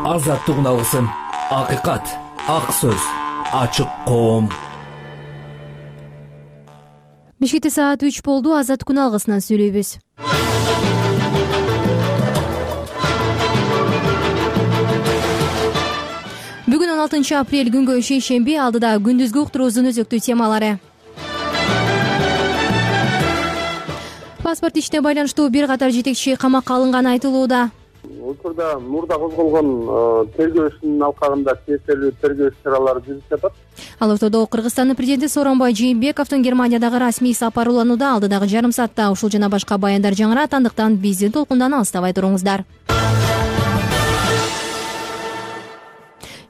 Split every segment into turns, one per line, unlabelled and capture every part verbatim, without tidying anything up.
азаттык алгысын. Акыйкат, ак сөз, ачык коом.
Бишкекте саат үч болду. Азат күн алгысынан сүйлөйбүз. Бүгүн он алтынчы апрель күнгө шейшемби. Алдыда күндүзгү уктуруубуздун өзөктүү темалары. Паспорт ишине байланыштуу бир катар жетекчи камакка алынганы айтылууда.
Учурда мурда козголгон тергөө ишинин алкагында тиешелүү тергөө иш-чаралары жүрүп жатат.
Ал ортодо Кыргызстандын президенти Сооронбай Жээнбековдун Германиядагы расмий сапары уланууда. Алдыдагы жарым саатта ушул жана башка баяндар жаңырат, андыктан биздин толкундан алыстабай туруңуздар.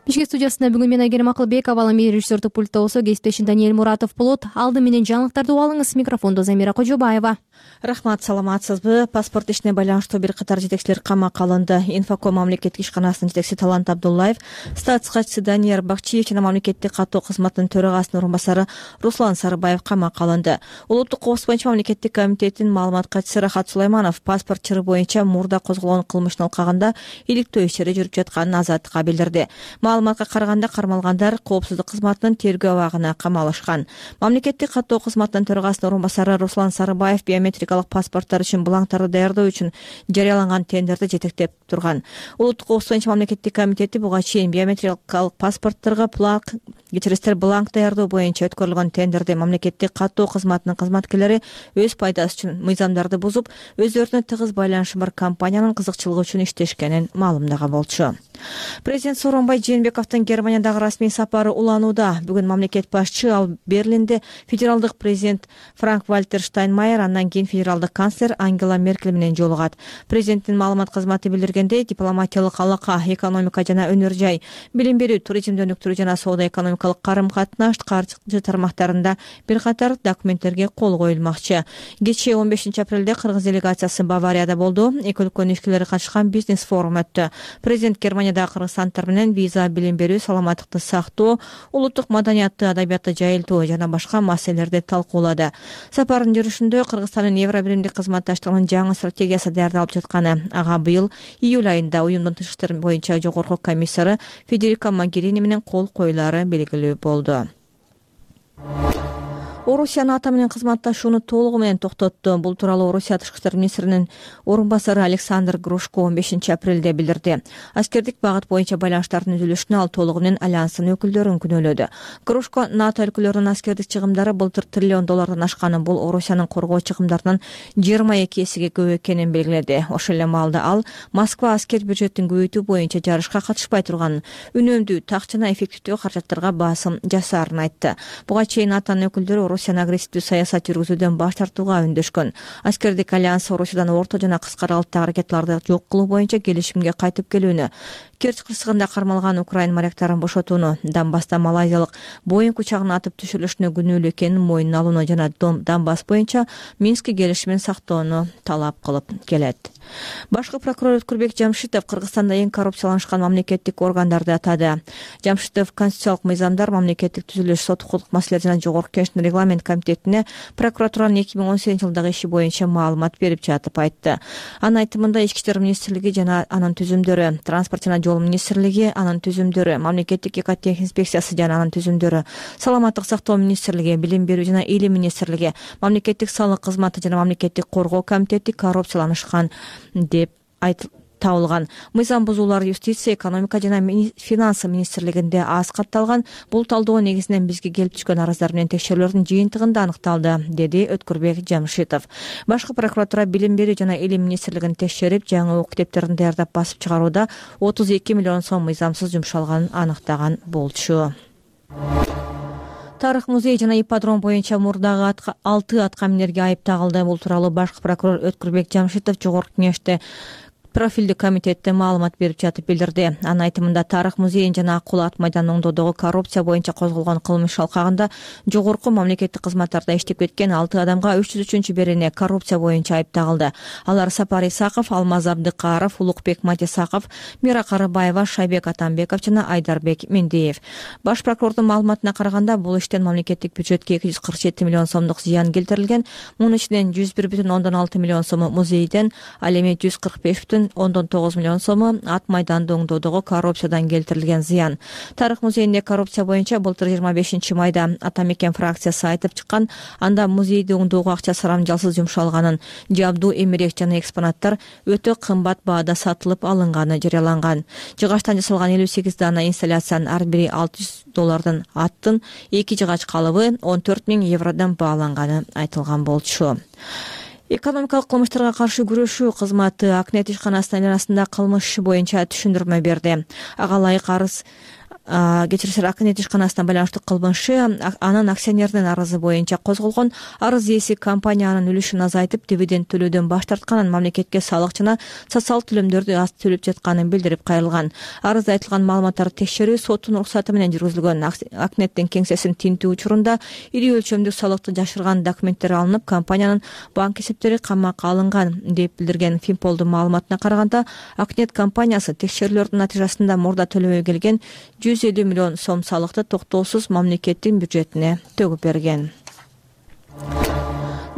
Бишкек студиясында бүгүн мен Айгерим Акылбекова, ал эми режиссердук пультта болсо кесиптешим Даниэль Муратов болот. Алды менен жаңылыктарды угуп алыңыз. Микрофондо Замира Кожобаева.
Рахмат, саламатсызбы? Паспорт ишине байланыштуу бир катар жетекчилер камакка алынды. Инфоком мамлекеттик ишканасынын жетекчиси Талант Абдуллаев, статс катчысы Данияр Бакчиев жана мамлекеттик каттоо кызматынын төрагасынын орун басары Руслан Сарыбаев камакка алынды. Улуттук коопсуздук боюнча мамлекеттик комитеттин маалымат катчысы Рахат Сулайманов паспорт чыры боюнча мурда козголгон кылмыштын алкагында иликтөө иштери жүрүп жатканын азаттыкка билдирди. Маалыматка караганда кармалгандар коопсуздук кызматынын тергөө абагына камалышкан. Мамлекеттик каттоо кызматынын төрагасынын орун басары Руслан Сарыбаев биометрикалык паспорттор үчүн бланктарды даярдоо үчүн жарыяланган тендерди жетектеп турган. Улуттук коопсуздук боюнча мамлекеттик комитети буга чейин биометрикалык паспортторго плак кечиресиздер бланк даярдоо боюнча өткөрүлгөн тендерди мамлекеттик каттоо кызматынын кызматкерлери өз пайдасы үчүн мыйзамдарды бузуп, өздөрүнө тыгыз байланышы бар компаниянын кызыкчылыгы үчүн иштешкенин маалымдаган болчу. Президент Сооронбай Жээнбековдун Германиядагы расмий сапары уланууда. Бүгүн мамлекет башчы ал Берлинде федералдык президент Франк-Вальтер Штайнмайер, андан кийин федералдык канцлер Ангела Меркель менен жолугат. Президенттин маалымат кызматы билдиргендей, дипломатиялык алака, экономика жана өнөр жай, билим берүү, туризмди өнүктүрүү жана соода-экономикалык карым-катнаш каржы тармактарында бир катар документтерге кол коюлмакчы. Кечээ он бешинчи апрелде Кыргыз делегациясы Баварияда болду. Эки өлкөнүн ишкерлери катышкан бизнес форум өттү. Президент Германиядагы кыргызстанддар менен виза, билим берүү, саламаттыкты сактоо, улуттук маданиятты, адабиятты жайылтуу жана башка маселелерди талкуулады. Сапардын жүрүшүндө Кыргызстандын Евробиримдик кызматташтыгынын жаңы стратегиясы даярдалып жатканы, ага быйыл июль айында уюмдун тышкы иштер боюнча жогорку комиссары Федерика Могерини менен кол коюлары белгилүү болду. Орусия НАТО менен кызматташууну толугу менен токтотту. Бул тууралуу Орусия тышкы иштер министринин орун басары Александр Грушко он бешинчи апрелде билдирди. Аскердик багыт боюнча байланыштардын үзүлүшүнө ал толугу менен альянстын өкүлдөрүн күнөөлөдү. Грушко НАТО өлкөлөрүнүн аскердик чыгымдары былтыр триллион доллардан ашканын, бул Орусиянын коргоо чыгымдарынын жыйырма эки эсеге көп экенин белгиледи. Ошол эле маалда ал Москва аскер бюджеттин көбөйтүү боюнча жарышка катышпай турганын, үнөмдүү, так жана эффективдүү каражаттарга басым жасаарын айтты. Буга чейин НАТОнун өкүлдөрү Орусиянын агрессивдүү саясат жүргүзүүдөн баш тартууга үндөшкөн. Аскердик альянс Орусиядан орто жана кыска аралыктагы ракеталарды жок кылуу боюнча келишимге кайтып келүүнү, Керчь кырсыгында кармалган украин моряктарын бошотууну, Донбасста малайзиялык Боинг учагынын атып түшүрүлүшүнө күнөөлүү экенин мойнуна алууну жана Донбасс боюнча Минск келишимин сактоону талап кылып келет. Башкы прокурор Өткүрбек Жамшитов Кыргызстанда эң коррупцияланышкан мамлекеттик органдарды атады. Жамшитов конституциялык мыйзамдар, мамлекеттик түзүлүш, сот укуктук маселелер жана жогорку кеңештин регламент комитетине прокуратуранын эки миң он сегизинчи жылдагы иши боюнча маалымат берип жатып айтты. Анын айтымында Ички иштер министрлиги жана анын түзүмдөрү, транспорт жана жол министрлиги, анын түзүмдөрү, мамлекеттик экотехник инспекциясы жана анын түзүмдөрү, саламаттык сактоо министрлиги, билим берүү жана илим министрлиги, мамлекеттик салык кызматы жана мамлекеттик коргоо комитети коррупцияланышкан деп айтылды. Табылган мыйзам бузуулар юстиция, экономика жана финансы министрлигинде аз катталган. Бул талдоо негизинен бизге келип түшкөн арыздар менен текшерүүлөрдүн жыйынтыгында аныкталды, деди Өткүрбек Жамшитов. Башкы прокуратура билим берүү жана илим министрлигин текшерип, жаңы окуу китептерин даярдап басып чыгарууда отуз эки миллион сом мыйзамсыз жумшалганын аныктаган болчу. Тарых музей жана ипподром боюнча мурдагы алты аткаминерге айып тагылды. Бул тууралуу башкы прокурор Өткүрбек Жамшитов жогорку кеңеште профилдүү комитетте маалымат берип жатып билдирди. Анын айтымында Тарых музейин жана Акул ат майданын оңдоодогу коррупция боюнча козголгон кылмыш алкагында жогорку мамлекеттик кызматтарда иштеп кеткен алты адамга үч жүз үчүнчү берене коррупция боюнча айып тагылды. Алар Сапар Исаков, Алмаз Абдыкаров, Улукбек Матисаков, Мира Карыбаева, Шайбек Атамбеков жана Айдарбек Мендеев. Баш прокурордун маалыматына караганда, бул иштен мамлекеттик бюджетке эки жүз кырк жети миллион сомдук зыян келтирилген. Мунун ичинен жүз бир бүтүн ондон алты миллион сому музейден, ал эми жүз кырк беш бүтүн ондон тогуз миллион сому, ат майданды оңдоодогу коррупциядан келтирилген зыян. Тарых музейинде коррупция боюнча былтыр жыйырма бешинчи майда Ата Мекен фракциясы айтып чыккан, анда музейди оңдоого акча сарамжалсыз жумшалганын, жабдуу, эмерек жана экспонаттар өтө кымбат баада сатылып алынганы жарыяланган. Жыгачтан жасалган элүү сегиз дана инсталляциянын ар бири алты жүз доллардан, аттын эки жыгач калыбы он төрт миң евродон бааланганы айтылган болчу. Экономикалык кылмыштарга каршы күрөшүү кызматы Акнет ишканасынын айланасында кылмыш иши боюнча түшүндүрмө берди. Ага ылайык арыз кечирисиз Акнет ишканасына байланыштуу кылмыш иши анын акционердин арызы боюнча козголгон. Арыз ээси компаниянын үлүшүн азайтып, дивиденд төлөөдөн баш тартканын, мамлекетке салык жана социалдык төлөмдөрдү аз төлөп жатканын билдирип кайрылган. Арызда айтылган маалыматтарды текшерүү соттун уруксаты менен жүргүзүлгөн. Акнеттин кеңсесин тинтүү учурунда ири өлчөмдүү салыкты жашырган документтер алынып, компаниянын банк эсептери камакка алынган деп билдирген Финполдун маалыматына караганда, Акнет компаниясы текшерүүлөрдүн натыйжасында мурда төлөбөй келген жүз элүү миллион сом салыкты токтоосуз мамлекеттин бюджетине төгүп берген.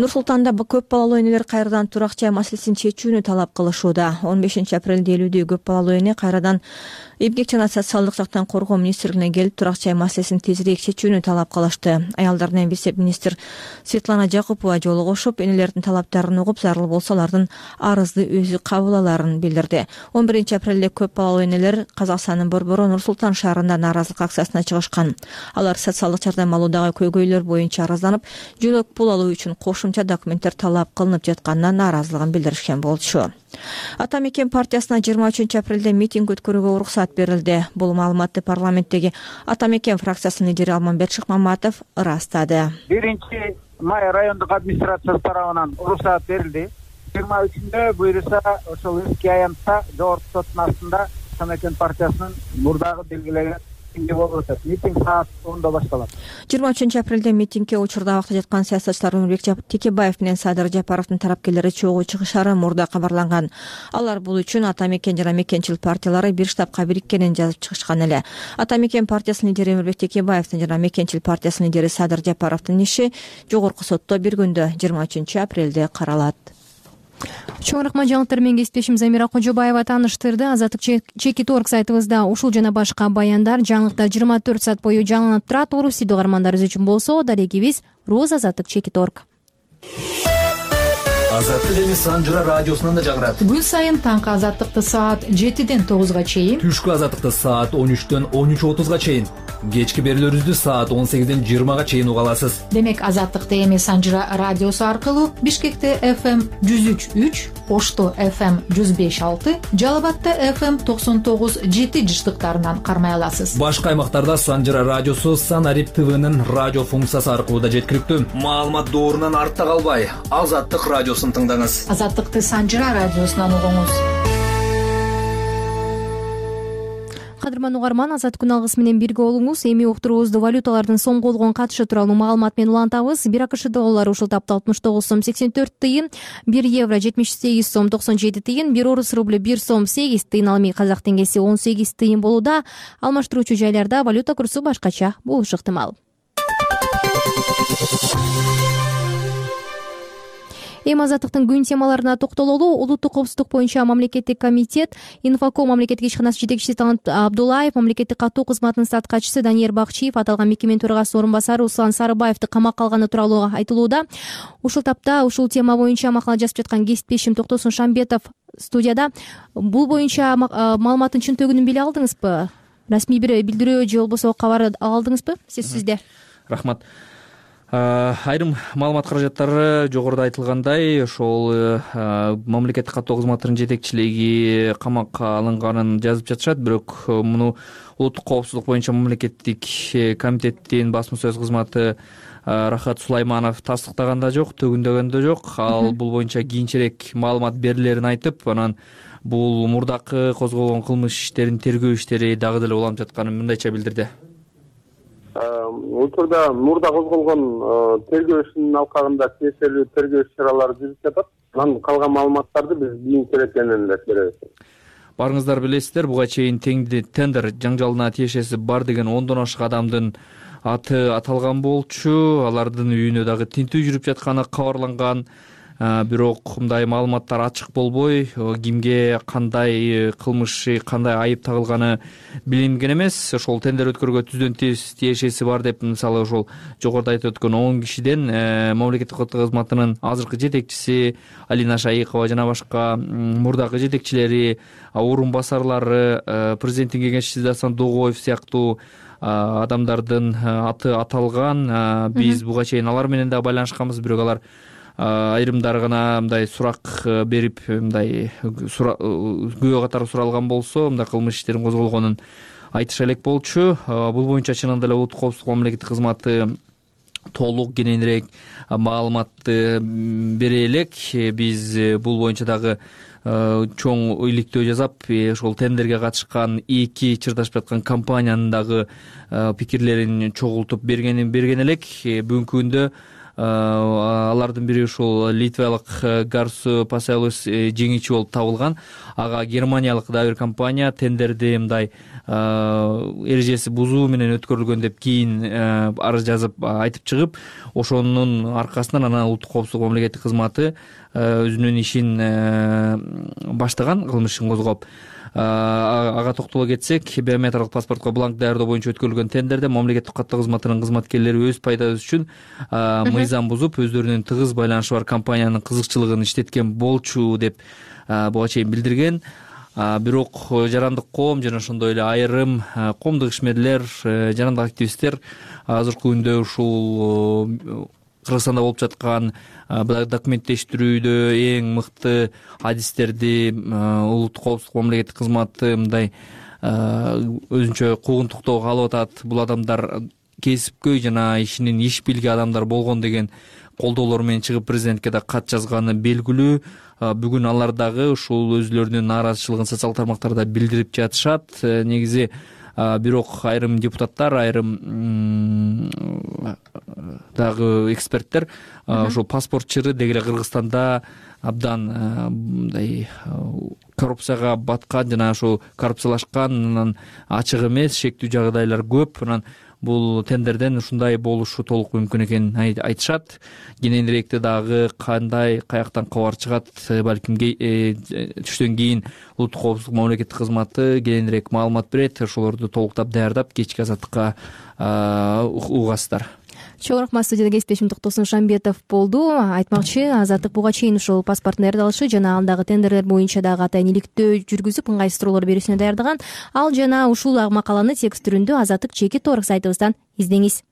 Нур-Султанда көп балалуу энелер кайрадан турак жай маселесин чечүүнү талап кылышууда. он бешинчи апрелде элүүдө көп балалуу эне кайрадан эмгек жана социалдык жактан коргоо министрлигине келип, турак жай маселесин тезирээк чечүүнү талап кылышты. Аялдардын вице-министр Светлана Жакупова жолугушуп, энелердин талаптарын угуп, зарыл болсо алардын арызды өзү кабыл аларын билдирди. он биринчи апрелде көп балалуу энелер Казакстандын Борбору Нур-Султан шаарында нааразылык акциясына чыгышкан. Алар социалдык жардам алуудагы көйгөйлөр боюнча арызданып, жөлөк пул алуу үчүн кошумча документтер талап кылынып жатканына нааразылыгын билдиришкен болчу. Ата Мекен партиясына жыйырма үчүнчү апрелде митинг өткөрүүгө уруксат берилди. Бул маалыматты парламенттеги Ата Мекен фракциясынын лидери Алмамбет Шыкмаматов ырастады.
биринчи май райондук администрациясы тарабынан уруксат берилди. жыйырма үчүндө буюрса ошол эски аянтта жогорку соттун астында Ата Мекен партиясынын мурдагы белгилеген болуп атат. Митинг саат ондо башталат.
жыйырма үчүнчү апрелде митингге учурда абакта жаткан саясатчылар Өмүрбек Текебаев менен Садыр Жапаровдун тарапкерлери чогуу чыгышары мурда кабарланган. Алар бул үчүн Ата Мекен жана Мекенчил партиялары бир штабка бириккенин жазып чыгышкан эле. Ата Мекен партиясынын лидери Өмүрбек Текебаевдин жана Мекенчил партиясынын лидери Садыр Жапаровдун иши жогорку сотто бир күндө жыйырма үчүнчү апрелде каралат.
Чоң рахмат, жаңылыктар менен кесиптешим Замира Кожобаева тааныштырды. Азаттык Чекит орг сайтыбызда ушул жана башка баяндар, жаңылыктар жыйырма төрт саат бою жаңыланып турат. Орус тилдүү угармандарыбыз үчүн болсо, дарегибиз Роз Азаттык Чекит орг.
Азаттык эми Санжыра радиосунан да жагырат.
Күн сайын таңкы азаттыкты саат жетиден тогузга чейин,
Түшкү азаттыкты саат он үчтөн он үч отузга чейин, кечки берүүлөрүбүздү саат он сегизден жыйырмага чейин уга аласыз.
Демек азаттыкты эми Санжыра радиосу аркылуу Бишкекте эф эм жүз үч үч, Ошто эф эм жүз беш алты, Жалал Абадта эф эм токсон тогуз жети жыштыктарынан кармай аласыз.
Башка аймактарда Санжыра радиосу Санарип ТВнын радио функциясы аркылуу да жеткиликтүү. Маалымат доорунан артта калбай, Азаттык радиосун тыңдаңыз.
Азаттыкты Санжыра радиосунан угуңуз.
Кадырман угарман, Азаттык күн алгысы менен бирге болуңуз. Эми уктуруубузду валюталардын соңку болгон катышы тууралуу маалымат менен улантабыз. бир АКШ доллары ушул тапта алтымыш тогуз сом сексен төрт тыйын, бир евро жетимиш сегиз сом токсон жети тыйын, бир орус рублю бир сом сегиз тыйын, ал эми казак теңгеси он сегиз тыйын болууда. Алмаштыруучу жайларда валюта курсу башкача болушу ыктымал. Эми Азаттыктын күн темаларына токтололу. Улуттук коопсуздук боюнча мамлекеттик комитет, Инфоком мамлекеттик ишканасы жетекчиси Талант Абдуллаев, мамлекеттик катуу кызматынын статкачысы Данияр Бакчиев аталган мекеменин төрагасы орун басары Руслан Сарыбаевди камакка алганы тууралуу айтылууда. Ушул тапта ушул тема боюнча макала жазып жаткан кесиптешим Токтосун Шамбетов студияда. Бул боюнча маалыматтын чынтөгүнүн биле алдыңызбы? Расмий бир билдирүү же болбосо кабар алдыңызбы? Сиз сизде.
Рахмат. Айрым маалымат каражаттары жогоруда айтылгандай, ошол мамлекеттик катуу кызматтын жетекчилиги камакка алынганын жазып жатышат, бирок муну улуттук коопсуздук боюнча мамлекеттик комитеттин басма сөз кызматы Рахат Сулайманов тастыктаган да жок, төгүндөгөн да жок. Ал бул боюнча кийинчерээк маалымат берилерин айтып, анан бул мурдакы козголгон кылмыш иштерин тергөө иштери дагы деле уланып жатканын мындайча билдирди.
Учурда мурда козголгон тергөө ишинин алкагында тиешелүү тергөө иш-чаралары жүрүп жатат. Анан калган маалыматтарды биз кийинчерээк кененирээк беребиз.
Барыңыздар билесиздер, буга чейин тендер жаңжалына тиешеси бар деген ондон ашык адамдын аты аталган болчу. Алардын үйүнө дагы тинтүү жүрүп жатканы кабарланган. бирок мындай маалыматтар ачык болбой, кимге кандай кылмыш, кандай айып тагылганы билинген эмес. Ошол тендер өткөрүүгө түздөн тез тиешеси бар деп, мисалы ошол жогоруда айтып өткөн он кишиден мамлекеттик кызмат кызматынын азыркы жетекчиси Алина Шайыкова жана башка мурдагы жетекчилери, орун басарлары, президенттин кеңешчиси Дасан Догоев сыяктуу адамдардын аты аталган. Биз буга чейин алар менен да байланышканбыз, бирок алар айрымдары гана мындай сурак берип, мындай күбө катары суралган болсо, мындай кылмыш иштерин козголгонун айтыша элек болчу. Бул боюнча чынында эле улуттук коопсуздук мамлекеттик кызматы толук кененирээк маалыматты бере элек. Биз бул боюнча дагы чоң иликтөө жасап, ошол тендерге катышкан эки чырдашып жаткан компаниянын дагы пикирлерин чогултуп берген берген элек. Бүгүнкү күндө алардын бири ушул литвалык Garsu Pasaulis жеңүүчү болуп табылган. Ага германиялык да бир компания тендерди мындай эрежеси бузуу менен өткөрүлгөн деп кийин арыз жазып айтып чыгып, ошонун аркасынан анан улуттук коопсуздук мамлекеттик кызматы өзүнүн ишин баштаган, кылмыш ишин козгоп. Ага токтоло кетсек, биометриялык паспортко бланк даярдоо боюнча өткөрүлгөн тендерде мамлекеттик каттоо кызматынын кызматкерлери өз пайдасы үчүн мыйзам бузуп, өздөрүнүн тыгыз байланышы бар компаниянын кызыкчылыгын иштеткен болчу деп буга чейин билдирген. Бирок жарандык коом жана ошондой эле айрым коомдук ишмерлер, жарандык активисттер азыркы күндө ушул Кыргызстанда болуп жаткан документтештирүүдө эң мыкты адистерди улуттук коопсуздук мамлекеттик кызматы мындай өзүнчө куугунтуктоого алып атат. Бул адамдар кесипкөй жана ишинин иш билги адамдар болгон деген колдоолор менен чыгып президентке да кат жазганы белгилүү. Бүгүн алар дагы ушул өзүлөрүнүн нааразычылыгын социалдык тармактарда билдирип жатышат. Негизи бирок айрым депутаттар, айрым дагы эксперттер ошол паспортчыры деги эле Кыргызстанда абдан мындай коррупцияга баткан жана ошол коррупциялашкан, анан ачык эмес, шектүү жагдайлар көп. Анан бул тендерден ушундай болушу толук мүмкүн экенин айтышат. Кененирээкти дагы кандай, каяктан кабар чыгат, балким түштөн кийин улуттук коопсуздук мамлекеттик кызматы кененирээк маалымат берет. Ошолорду толуктап даярдап кечки азаттыкка угасыздар.
Чоң рахмат. Студияда кесиптешим Токтосун Шамбетов болду. Айтмакчы, Азаттык буга чейин ушул паспорттун даярдалышы жана андагы тендерлер боюнча дагы атайын иликтөө жүргүзүп, ыңгайсыз суроолор берүүсүнө даярдаган. Ал жана ушул макаланы текст түрүндө Азаттык жеке торг сайтыбыздан издеңиз.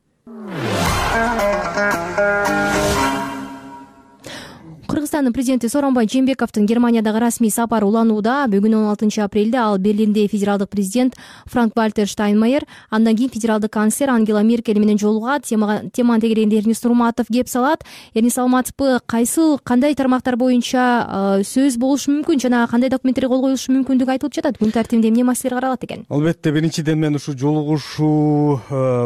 Кыргызстандын президенти Сооронбай Жээнбековдун Германиядагы расмий сапары уланууда. Бүгүн он алтынчы апрелде ал Берлинде федералдык президент Франк-Вальтер Штайнмайер, андан кийин федералдык канцлер Ангела Меркель менен жолугат. Теманын тегерегинде Эрнис Нурматов кеп салат. Эрнис, саламатсызбы? Кайсы, кандай тармактар боюнча сөз болушу мүмкүн жана кандай документтер кол коюлушу мүмкүндүгү айтылып жатат? Күн тартибинде эмне маселелер каралат экен?
Албетте, биринчиден мен ушу жолугушуу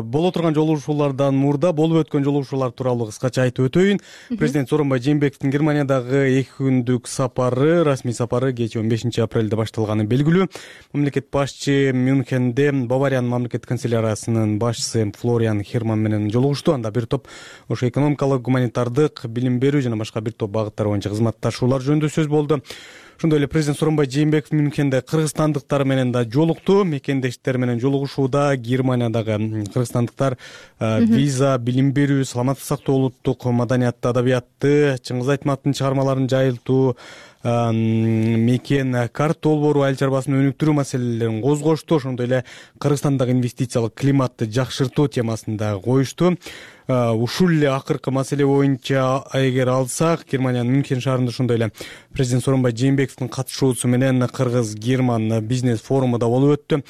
боло турган жолугушуулардан мурда болуп өткөн жолугушуулар тууралуу кыскача айтып өтөйүн. Президент Сооронбай Жээнбековдун Германиядагы эки күндүк сапары, расмий сапары кечээ он бешинчи апрелде башталганы белгилүү. Мамлекет башчы Мюнхенде Бавариянын мамлекеттик канцеляриясынын башчысы Флориан Херман менен жолугушту. Анда бир топ ошо экономикалык, гуманитардык, билим берүү жана башка бир топ багыттар боюнча кызматташуулар жөнүндө сөз болду. Ошондой эле президент Сооронбай Жээнбеков Мюнхенде кыргызстандыктар менен да жолукту. Мекендештер менен жолугушууда Германиядагы кыргызстандыктар виза, билим берүү, саламаттык сактоо, улуттук маданиятты, адабиятты, Чыңгыз Айтматовдун чыгармаларын жайылтуу, мекен карт долбоору, айыл чарбасын өнүктүрүү маселелерин козгошту. Ошондой эле Кыргызстандагы инвестициялык климатты жакшыртуу темасында коюшту. Ушул эле акыркы маселе боюнча эгер алсак, Германиянын Мюнхен шаарында ошондой эле президент Сооронбай Жээнбековдун катышуусу менен Кыргыз-Герман бизнес форуму да болуп өттү.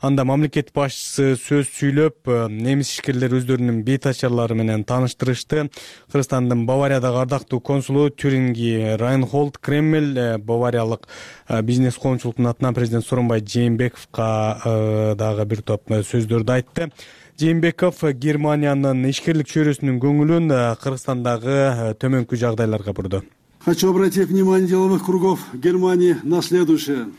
Анда мамлекет башчысы сөз сүйлөп, немис ишкерлер өздөрүнүн бейтачарлары менен тааныштырышты. Кыргызстандын Бавариядагы ардактуу консулу Тюринги Райнхолд Креммель Бавариялык бизнес коомчулуктун атынан президент Сооронбай Жээнбековго дагы бир топ сөздөрдү айтты. Жээнбеков Германиянын ишкерлик чөйрөсүнүн көңүлүн Кыргызстандагы төмөнкү жагдайларга бурду.
Хочу обратить внимание деловых кругов Германии на следующее.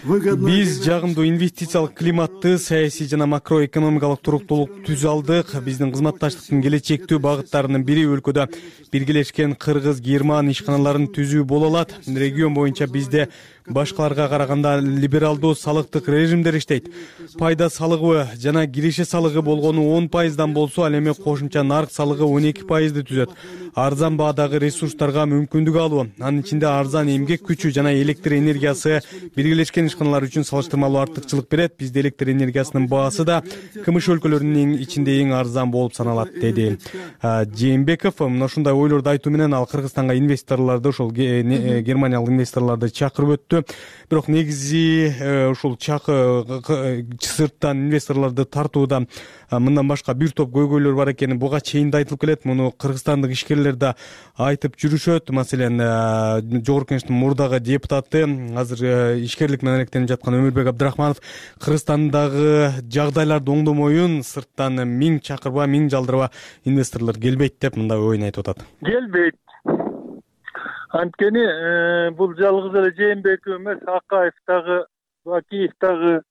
Биз жагымдуу инвестициялык климатты, саясий жана макроэкономикалык туруктуулукту түзө алдык. Биздин кызматташтыктын келечектүү багыттарынын бири өлкөдө биргелешкен кыргыз-герман ишканаларын түзүү боло алат. Регион боюнча бизде башкаларга караганда либералдуу салыктык режимдер иштейт. Пайда салыгы жана киреше салыгы болгону он пайыздан болсо, ал эми кошумча нарк салыгы он эки пайызды түзөт. Арзан баадагы ресурстарга мүмкүндүк алуу, анын ичинде арзан эмгек күчү жана электр энергиясы биргелешкен ишканалар үчүн салыштырмалуу артыкчылык берет. Бизде электр энергиясынын баасы да КМШ өлкөлөрүнүн ичинде эң арзан болуп саналат, деди Жээнбеков. Мына ушундай ойлорду айтуу менен ал Кыргызстанга инвесторлорду, ошол германиялык инвесторлорду чакырып өттү. Бирок негизи ушул чакы сырттан инвесторлорду тартууда мындан башка бир топ көйгөйлөр бар экени буга чейин да айтылып келет. Муну кыргызстандык ишкерлер да айтып жүрүшөт. Маселен, Жогорку Кеңештин мурдагы депутаты, азыр ишкерлик менен алектенип жаткан Өмүрбек Абдрахманов Кыргызстандагы жагдайларды оңдомоюн сырттан миң чакырба, миң жалдырба инвесторлор келбейт деп мындай оюн айтып атат.
Келбейт. Анткени бул жалгыз эле Жээнбеков эмес, Акаев дагы, Акиев дагы,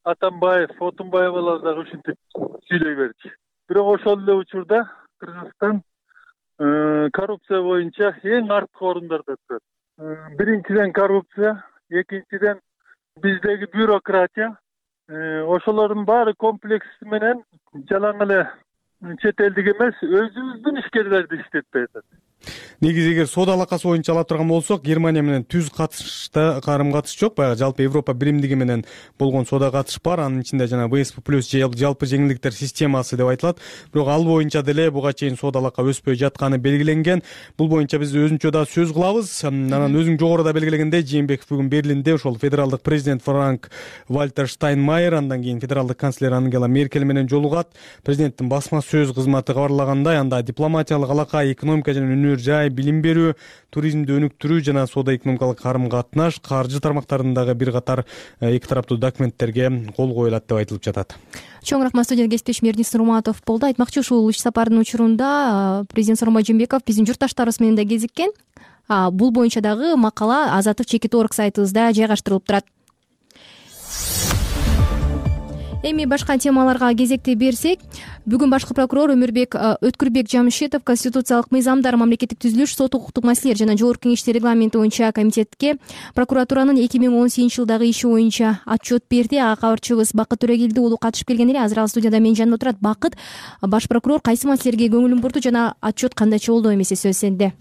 Атамбаев, Отунбаевалар дагы ушинтип сүйлөй берди. Бирок ошол эле учурда Кыргызстан коррупция боюнча эң арткы орундарда турат. Биринчиден коррупция, экинчиден биздеги бюрократия. Ошолордун баары комплекси менен жалаң эле чет элдик эмес, өзүбүздүн ишкерлерди иштетпей атат.
Негизи эгер соода алакасы боюнча ала турган болсок, Германия менен түз катышта карым катыш жок. Баягы жалпы Европа биримдиги менен болгон соода катыш бар. Анын ичинде жана вэ эс пэ плюс жалпы жеңилдиктер системасы деп айтылат. Бирок ал боюнча деле буга чейин соода алака өспөй жатканы белгиленген. Бул боюнча биз өзүнчө да сөз кылабыз. Анан өзүң жогоруда белгилегендей, Жээнбеков бүгүн Берлинде ошол федералдык президент Франк Вальтер Штайнмайер, андан кийин федералдык канцлер Ангела Меркель менен жолугат. Президенттин басма сөз кызматы кабарлагандай, анда дипломатиялык алака, экономика жана өнөр жай, билим берүү, туризмди өнүктүрүү жана соода экономикалык карым катнаш, каржы тармактарындагы бир катар эки тараптуу документтерге кол коюлат деп айтылып жатат.
Чоң рахмат, студияда кесиптешим Эрдинис Нурматов болду. Айтмакчы, ушул иш сапардын учурунда президент Сооронбай Жээнбеков биздин журтташтарыбыз менен да кезиккен. Бул боюнча дагы макала Азаттык чекит орг сайтыбызда жайгаштырылып турат. Эми башка темаларга кезекти берсек, бүгүн башкы прокурор Өмүрбек Өткүрбек Жамшитов конституциялык мыйзамдар, мамлекеттик түзүлүш, сот укуктук маселелер жана Жогорку Кеңештин регламенти боюнча комитетке прокуратуранын эки миң он сегизинчи жылдагы иши боюнча отчет берди. Ага кабарчыбыз Бакыт Төрөгелди уулу катышып келген эле. Азыр ал студияда менин жанымда турат. Бакыт, баш прокурор кайсы маселелерге көңүлүн бурду жана отчет кандайча болду? Эмесе сөз сенде.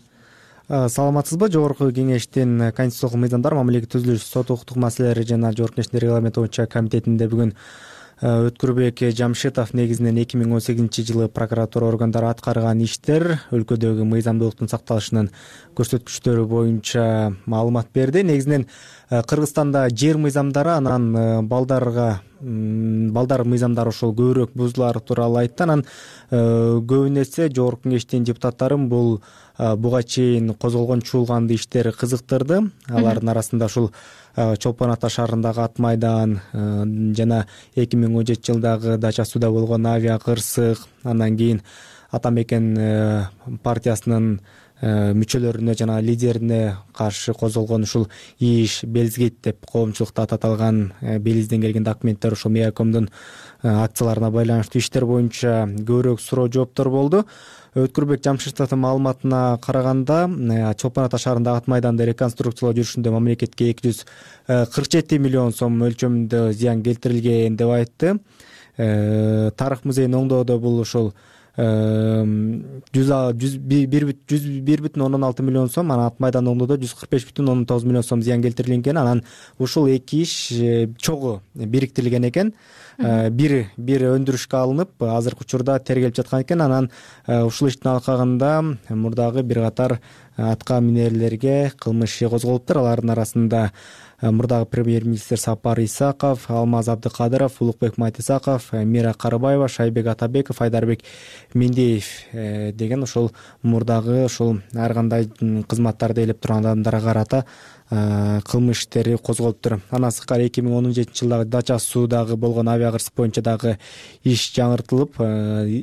Саламатсызбы? Жогорку Кеңештин конституциялык мыйзамдар, мамлекеттик түзүлүш, сот укуктук маселелери жана Жогорку Кеңештин регламенти боюнча комитетинде бүгүн Өткүрбек Жамшитов негизинен эки миң он сегизинчи жылы прокуратура органдары аткарган иштер, өлкөдөгү мыйзамдуулуктун сакталышынын көрсөткүчтөрү боюнча маалымат берди. Негизинен Кыргызстанда жер мыйзамдары, анан балдарга балдар мыйзамдары ошол көбүрөөк бузулары тууралуу айтты. Анан көбүн эсе Жогорку Кеңештин депутаттарын бул буга чейин козголгон чуулганды иштери кызыктырды. Алардын арасында ушул Чолпон Ата шаарындагы ат майдан жана эки миң он жетинчи жылдагы Дача сууда болгон авиа кырсык, андан кийин Атамекен партиясынын мүчөлөрүнө жана лидерине каршы козголгон ушул иш, Белизгейт деп коомчулукта аталган Белизден келген документтер, ушул Меакомдун акцияларына байланыштуу иштер боюнча көбүрөөк суроо жооптор болду. Өткүрбек Жамшитовдун маалыматына караганда, Чолпон Ата шаарындагы ат майданды реконструкциялоо жүрүшүндө мамлекетке эки жүз кырк жети миллион сом өлчөмүндө зыян келтирилген деп айтты. Тарых музейин оңдоодо бул ушул жүз бир бүтүн ондон алты миллион сом, анан ат майдан оңдоодо жүз кырк беш бүтүн ондон тогуз миллион сом зыян келтирилген. Анан ушул эки иш чогуу бириктирилген экен. Бир бир өндүрүшкө алынып, азыркы учурда тергелип жаткан экен. Анан ушул иштин алкагында мурдагы бир катар атка минерлерге кылмыш иши козголуптур. Алардын арасында мурдагы премьер-министр Сапар Исаков, Алмаз Абдыкадыров, Улукбек Майтисаков, Мира Карыбаева, Шайбек Атабеков, Айдарбек Мендеев деген ошол мурдагы ошол ар кандай кызматтарды ээлеп турган адамдарга карата кылмыш иштери козголуптур. Андан сырткары эки миң он жетинчи жылдагы Дача суудагы болгон авиакырсык боюнча дагы иш жаңыртылып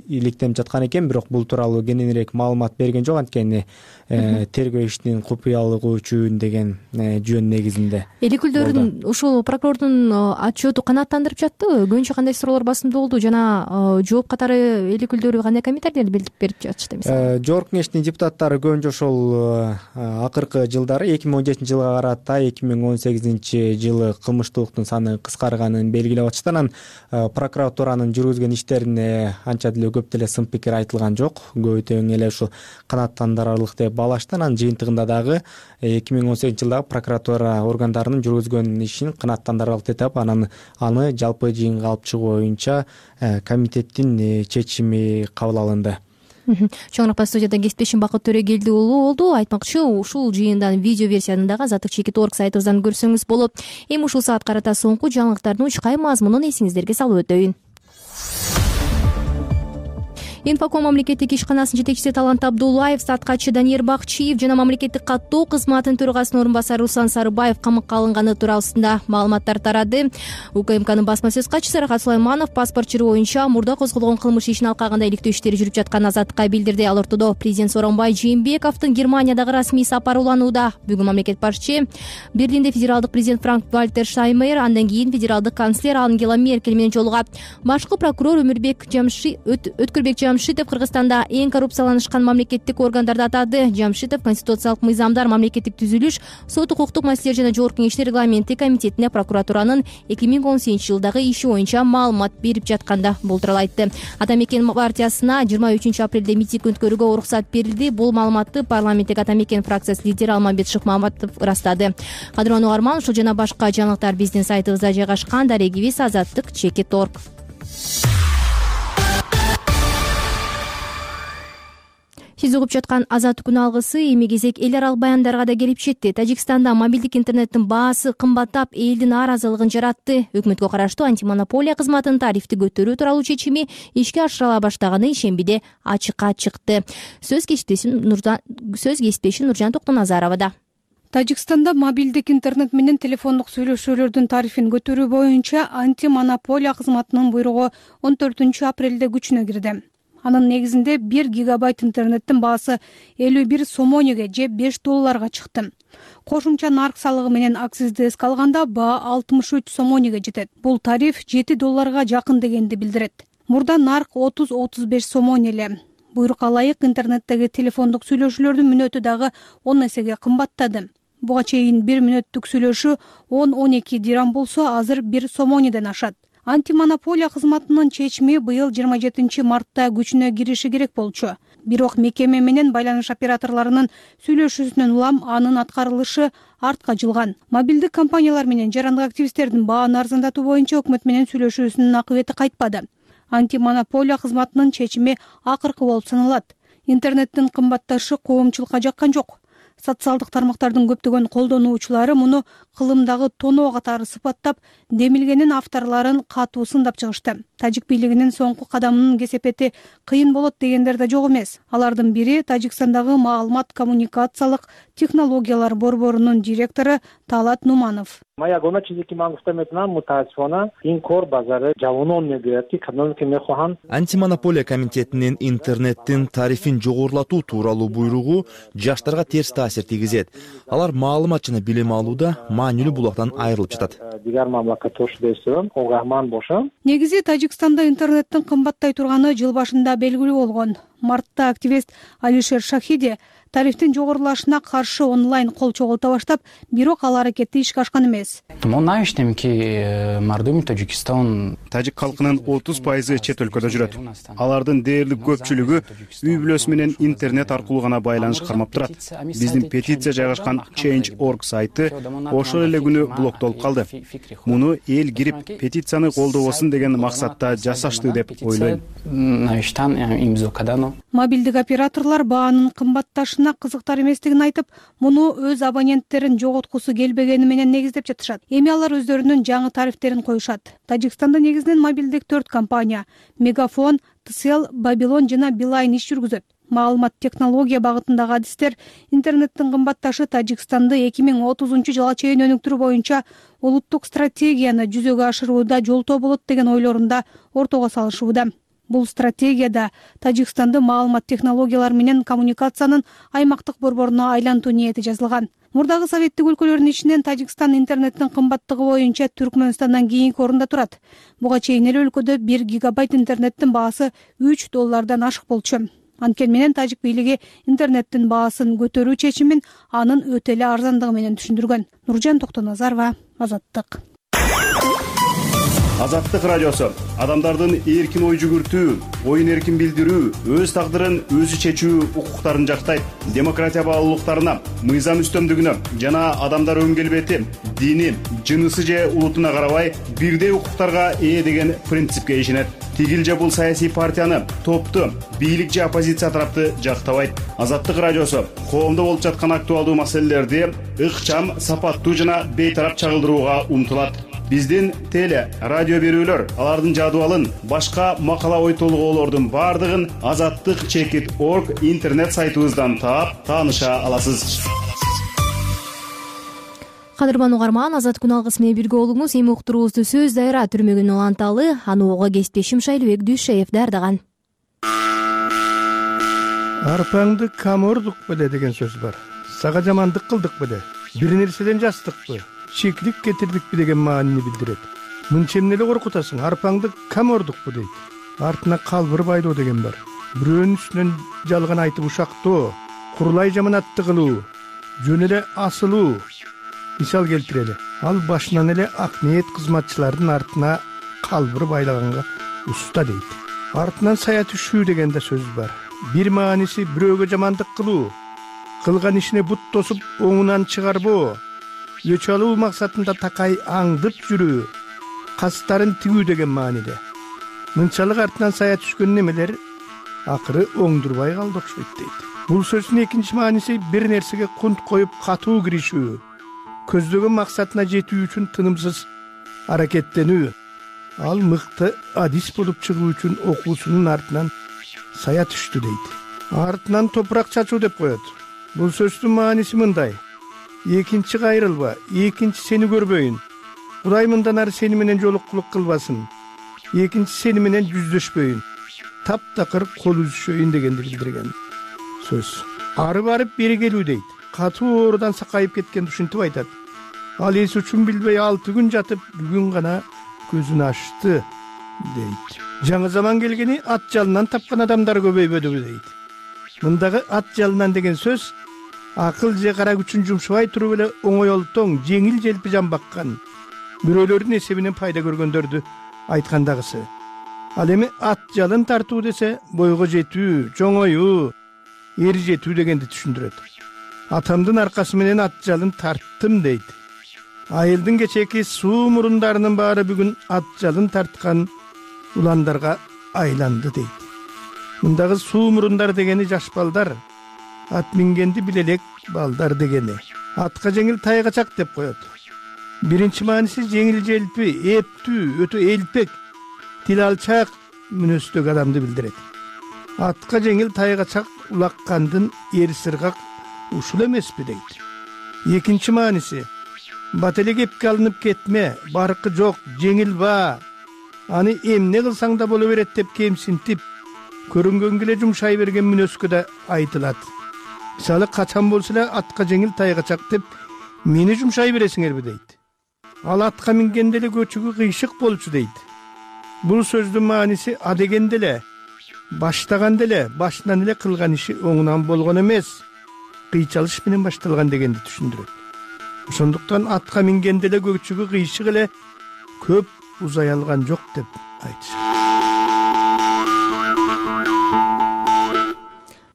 иликтенип жаткан экен, бирок бул тууралуу кененирээк маалымат берген жок. Анткени тергөө ишинин купуялыгы үчүн деген жөн негизинде.
Эл өкүлдөрүнүн ушул прокурордун отчету канааттандырып жатты. Көбүнчө кандай суроолор басымдуу болду жана жооп катары эл өкүлдөрү кандай комментарийлер берип жатышты? Мисалы
жогорку кеңештин депутаттары көбүнчө ошол акыркы жылдары эки миң он жетинчи жылга карата эки миң он сегизинчи жылы кылмыштуулуктун саны кыскарганын белгилеп атышты. Анан прокуратуранын жүргүзгөн иштерине анча деле көп деле сын пикир айтылган жок. Көбү тең эле ушул канааттандырарлык деп баалашты. Анан жыйынтыгында дагы эки миң он сегизинчи жылдагы прокуратура органдарынын жүргүзгөн ишин канааттандырарлык деп таап, анан аны жалпы жыйынга алып чыгуу боюнча комитеттин чечими кабыл алынды.
Чоңурак студияда кесиптешим Бакыт Төрөгелди уулу болду. Айтмакчы, ушул жыйындан видео версияны дагы Азаттык чекит орг сайтыбыздан көрсөңүз болот. Эми ушул саат карата соңку жаңылыктардын учкай мазмунун эсиңиздерге салып өтөйүн. Инфоком мамлекеттик ишканасынын жетекчиси Талант Абдуллаев, саткачы Даниер Бакчиев жана мамлекеттик каттоо кызматынын төрагасынын орун басары Руслан Сарыбаев камакка алынганы туурасында маалыматтар тарады. УКМКнын басма сөз катчысы Рахат Сулайманов паспорт чыруу боюнча мурда козголгон кылмыш ишин алкагында иликтөө иштери жүрүп жатканын Азаттыкка билдирди. Ал ортодо президент Сооронбай Жээнбековдун Германиядагы расмий сапары уланууда. Бүгүн мамлекет башчы Берлинде федералдык президент Франк Вальтер Штайнмайер, андан кийин федералдык канцлер Ангела Меркель менен жолугат. Башкы прокурор Өмүрбек Жамши Өткүрбек Жамшитов Кыргызстанда эң коррупцияланышкан мамлекеттик органдарды атады. Жамшитов конституциялык мыйзамдар, мамлекеттик түзүлүш, сот укуктук маселелер жана жогорку кеңештер регламенти комитетине прокуратуранын эки миң он сегизинчи жылдагы иши боюнча маалымат берип жатканда бул тууралуу айтты. Ата Мекен партиясына жыйырма үчүнчү апрелде митинг өткөрүүгө уруксат берилди. Бул маалыматты парламенттик Ата Мекен фракциясы лидери Алмамбет Шыкмаматов ырастады. Кадырман Угарман, ушул жана башка жаңылыктар биздин сайтыбызда жайгашкан. Дарегибиз Азаттык чекит орг. Сиз угуп жаткан Азаттык күн алгысы эми кезек эл аралык баяндарга да келип жетти. Тажикстанда мобилдик интернеттин баасы кымбаттап, элдин нааразылыгын жаратты. Өкмөткө караштуу антимонополия кызматынын тарифти көтөрүү тууралуу чечими ишке ашырыла баштаганы ишембиде ачыкка чыкты. Сөз кесиптешим Нуржан сөз кесиптешим Нуржан Токтоназаровада.
Тажикстанда мобилдик интернет менен телефондук сүйлөшүүлөрдүн тарифин көтөрүү боюнча антимонополия кызматынын буйругу он төртүнчү апрелде күчүнө кирди. Анын негизинде бир гигабайт интернеттин баасы элүү бир сомонеге же беш долларга чыкты. Кошумча нарк салыгы менен акцизди эске алганда баа алтымыш үч сомонеге жетет. Бул тариф жети долларга жакын дегенди билдирет. Мурда нарк отуз отуз беш сомон эле. Буйрукка ылайык интернеттеги телефондук сүйлөшүүлөрдүн мүнөтү дагы он эсеге кымбаттады. Буга чейин бир мүнөттүк сүйлөшүү он он эки дирам болсо, азыр бир сомонеден ашат. Антимонополия кызматынын чечими быйыл жыйырма жетинчи мартта күчүнө кириши керек болчу. Бирок мекеме менен байланыш операторлорунун сүйлөшүүсүнөн улам анын аткарылышы артка жылган. Мобилдик компаниялар менен жарандык активисттердин бааны арзандатуу боюнча өкмөт менен сүйлөшүүсүнүн акыбети кайтпады. Антимонополия кызматынын чечими акыркы болуп саналат. Интернеттин кымбатташы коомчулукка жаккан жок. Социалдык тармактардын көптөгөн колдонуучулары муну кылымдагы тоноо катары сыпаттап, демилгенин авторлорун катуу сындап чыгышты. Тажик бийлигинин соңку кадамынын кесепети кыйын болот дегендер да жок эмес. Алардын бири Тажикстандагы маалымат коммуникациялык технологиялар борборунун директору Талат Нуманов.
Моя гона чизи ки ман гуфта метавонам, мутаассифона ин кор базари ҷавонон мегӯяд ки кадом ки мехоҳанд.
Антимонополия комитетинин интернеттин тарифин жогорулатуу тууралуу буйругу жаштарга терс таасир тийгизет. Алар маалымат жана билим алууда маанилүү булактан айрылып жатат.
Дигар мамлакатта ошондой эстебем, огаман бошо.
Негизи Тажикстанда интернеттин кымбаттай турганы жыл башында белгилүү болгон. Мартта активист Алишер Шахиди тарифтин жогорулашына каршы онлайн кол чогулта баштап, бирок ал аракетти ишке ашкан эмес.
Тажик калкынын отуз пайызы чет өлкөдө жүрөт. Алардын дээрлик көпчүлүгү үй бүлөсү менен интернет аркылуу гана байланыш кармап турат. Биздин петиция жайгашкан change точка org сайты ошол эле күнү блоктолуп калды. Муну эл кирип петицияны колдобосун деген максатта жасашты деп ойлойм.
Мобилдик операторлор баанын кымбатташына кызыктар эместигин айтып, муну өз абоненттерин жоготкусу келбегени менен негиздеп жатышат. Эми алар өздөрүнүн жаңы тарифтерин коюшат. Тажикстанда негизинен мобилдик төрт компания — Мегафон, Тсел, Бабилон жана Билайн иш жүргүзөт. маалымат технология багытындагы адистер интернеттин кымбатташы Тажикстанды эки миң отузунчу жылга чейин өнүктүрүү боюнча улуттук стратегияны жүзөгө ашырууда жолтоо болот деген ойлорунда ортого салышууда. Бул стратегияда Тажикстанды маалымат технологиялары менен коммуникациянын аймактык борборуна айлантуу ниети жазылган. Мурдагы советтик өлкөлөрдүн ичинен Тажикстан интернеттин кымбаттыгы боюнча Түркмөнстандан кийинки орунда турат. Буга чейин эле өлкөдө бир гигабайт интернеттин баасы үч доллардан ашык болчу. Анткени менен тажик бийлиги интернеттин баасын көтөрүү чечимин анын өтө эле арзандыгы менен түшүндүргөн. Нуржан Токтоназарова, Азаттык.
Азаттык радиосу адамдардын эркин ой жүгүртүү, оюн эркин билдирүү, өз тагдырын өзү чечүү укуктарын жактайт. Демократия баалуулуктарына, мыйзам үстөмдүгүнө жана адамдар өн келбети, дини, жынысы же улутуна карабай бирдей укуктарга ээ деген принципке ишенет. Тигил же бул саясий партияны, топту, бийлик же оппозиция тарапты жактабайт. Азаттык радиосу коомдо болуп жаткан актуалдуу маселелерди ыкчам, сапаттуу жана бейтарап чагылдырууга умтулат. Биздин теле, радио берүүлөр, алардын жадыбалын, башка макала ой толгоолордун бардыгын азаттык чекит точка орг интернет сайтыбыздан таап, тааныша аласыз.
Кадырман угарман, Азат күн алгысы менен бирге болуңуз. Эми уктуруубузду сөз дайра түрмөгүн уланталы, аны ого кесиптешим Шайлыбек Дүйшеев даярдаган.
Арпаңды камордук беле деген сөз бар. Сага жамандык кылдык беле, бир нерседен жастыкпы, чеклик кетирдикпи деген маанини билдирет. Мынча эмне эле коркутасың, арпаңды камордукпу дейт. Артына калбыр байлоо деген бар. Бирөөнүн үстүнөн жалган айтып ушактоо, курулай жаманатты кылуу, жөн эле асылуу. Мисал келтирели. Ал башынан эле ак ниет кызматчылардын артына калбыр байлаганга уста дейт. Артынан сая түшүү деген да сөз бар. Бир мааниси бирөөгө жамандык кылуу, кылган ишине бут тосуп оңунан чыгарбоо, өч алуу максатында такай аңдып жүрүү, кастарын тигүү деген мааниде. Мынчалык артынан сая түшкөн немелер акыры оңдурбай калды окшойт дейт. Бул сөздүн экинчи мааниси бир нерсеге кунт коюп катуу киришүү, көздөгөн максатына жетүү үчүн тынымсыз аракеттенүү. Ал мыкты адис болуп чыгуу үчүн окуусунун артынан сая түштү дейт. Артынан топурак чачуу деп коет. Бул сөздүн мааниси мындай: экинчи кайрылба, экинчи сени көрбөйүн, Кудай мындан ары сени менен жолуккулук кылбасын, экинчи сени менен жүздөшпөйүн, таптакыр кол үзүшөйүн дегенди билдирген сөз. Ары барып бери келүү дейт. Катуу оорудан сакайып кеткен ушинтип айтат. Ал эс үчүн билбей алты күн жатып, бүгүн гана көзүн ачты дейт. Жаңы заман келгени ат жалынан тапкан адамдар көбөйбөдүбү дейт. Мындагы ат жалынан деген сөз акыл же кара күчүн жумшабай туруп эле оңойлтоң, жеңил желпи жан баккан, бирөөлөрдүн эсебинен пайда көргөндөрдү айткандагысы. Ал эми ат жалын тартуу десе бойго жетүү, чоңоюу, эр жетүү дегенди түшүндүрөт. Атамдын аркасы менен ат жалын тарттым дейт. Айылдын кечеки суу мурундарынын баары бүгүн ат жалын тарткан уландарга айланды дейт. Мындагы суу мурундар дегени жаш балдар, ат мингенди билелек балдар дегени. Атка жеңил тайгачак деп коет. Биринчи мааниси жеңил желпи, эптүү, өтө элпек, тил алчак мүнөздөгү адамды билдирет. Атка жеңил тайгачак улаккандын эр сыргак ушул эмеспи дейт. Экинчи мааниси бат эле кепке алынып кетме, баркы жок, жеңил баа, аны эмне кылсаң да боло берет деп кемсинтип, көрүнгөнгө эле жумшай берген мүнөзгө да айтылат. Мисалы, качан болсо эле атка жеңил тайгачак деп мени жумшай бересиңерби дейт. Ал атка мингенде эле көчүгү кыйшык болчу дейт. Бул сөздүн мааниси а дегенде эле, баштаганда эле, башынан эле кылган иши оңунан болгон эмес, кыйчалыш менен башталган дегенди түшүндүрөт. Ошондуктан атка мингенде эле көчүгү кыйшык эле, көп узай алган жок деп айтышат.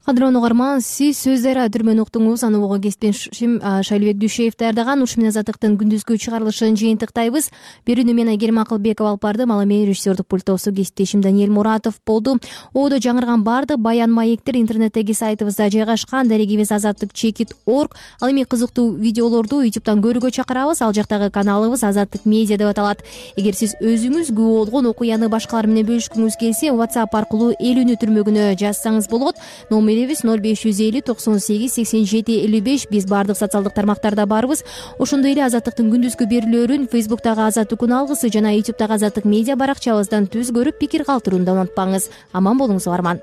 Кадырман угарман, сиз сөз дайра түрмөнү уктуңуз. Аны ого кесиптешим Шайлыбек Дүйшеев даярдаган. Ушу менен Азаттыктын күндүзгү чыгарылышын жыйынтыктайбыз. Берүүнү мен Айгерим Акылбекова алып бардым. Ал эми режиссердук пульттосу кесиптешим Даниэль Муратов болду. Одо жаңырган бардык баян маектер интернеттеги сайтыбызда жайгашкан. Дарегибиз азаттык чекит точка орг. Ал эми кызыктуу видеолорду ютубтан көрүүгө чакырабыз. Ал жактагы каналыбыз Азаттык медиа деп аталат. Эгер сиз өзүңүз күбө болгон окуяны башкалар менен бөлүшкүңүз келсе, WhatsApp аркылуу элүүнү түрмөгүнө жазсаңыз болот. Номер келебиз ноль беш жүз элүү токсон сегиз сексен жети элүү беш. Биз баардык социалдык тармактарда барбыз. Ошондой эле Азаттыктын күндүзгү берүүлөрүн Фейсбуктагы Азаттык күн алгысы жана Ютубтагы Азаттык медиа баракчабыздан түз көрүп пикир калтырууну да унутпаңыз. Аман болуңуз угарман.